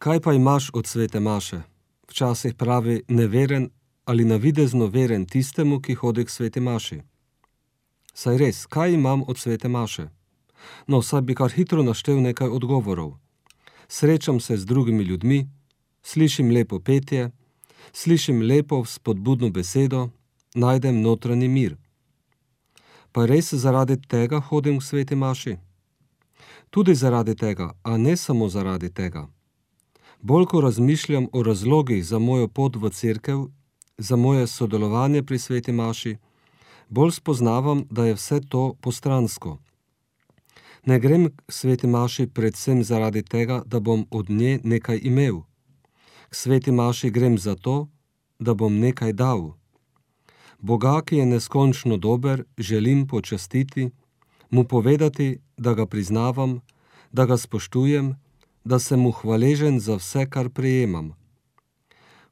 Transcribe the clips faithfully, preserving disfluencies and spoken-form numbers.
Kaj pa imaš od svete maše? Včasih pravi neveren ali navidezno veren tistemu, ki hodi k sveti maši. Saj res, kaj imam od svete maše? No, saj bi kar hitro naštel nekaj odgovorov. Srečam se z drugimi ljudmi, slišim lepo petje, slišim lepo spodbudno besedo, najdem notranji mir. Pa res zaradi tega hodim k sveti maši? Tudi zaradi tega, a ne samo zaradi tega. Bolj ko razmišljam o razlogih za mojo pot v cerkev, za moje sodelovanje pri sveti maši, bolj spoznavam, da je vse to postransko. Ne grem k sveti maši predvsem zaradi tega, da bom od nje nekaj imel. K sveti maši grem zato, da bom nekaj dal. Boga, ki je neskončno dober, želim počastiti, mu povedati, da ga priznavam, da ga spoštujem, da sem mu hvaležen za vse, kar prejemam.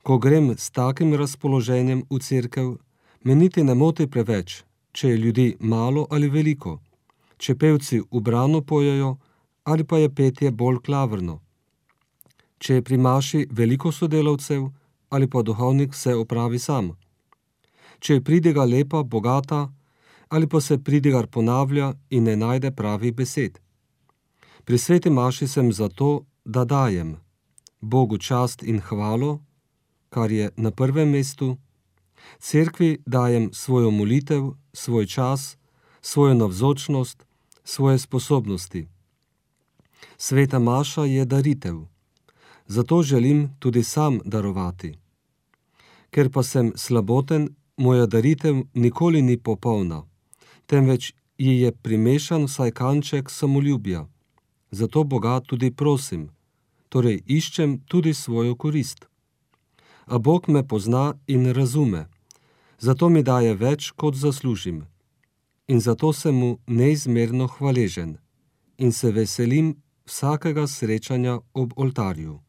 Ko grem s takim razpoloženjem v cerkev, me niti ne moti preveč, če je ljudi malo ali veliko, če pevci ubrano pojejo ali pa je petje bolj klavrno, če je pri maši veliko sodelavcev ali pa duhovnik vse opravi sam, če je pridiga lepa, bogata ali pa se pridigar ponavlja in ne najde pravih besed. Pri sveti maši sem zato, da dajem Bogu čast in hvalo, kar je na prvem mestu, cerkvi dajem svojo molitev, svoj čas, svojo navzočnost, svoje sposobnosti. Sveta maša je daritev, zato želim tudi sam darovati. Ker pa sem slaboten, moja daritev nikoli ni popolna, temveč ji je primešan vsaj kanček samoljubja. Zato Boga tudi prosim, torej iščem tudi svojo korist. A Bog me pozna in razume, zato mi daje več, kot zaslužim. In zato sem mu neizmerno hvaležen in se veselim vsakega srečanja ob oltarju.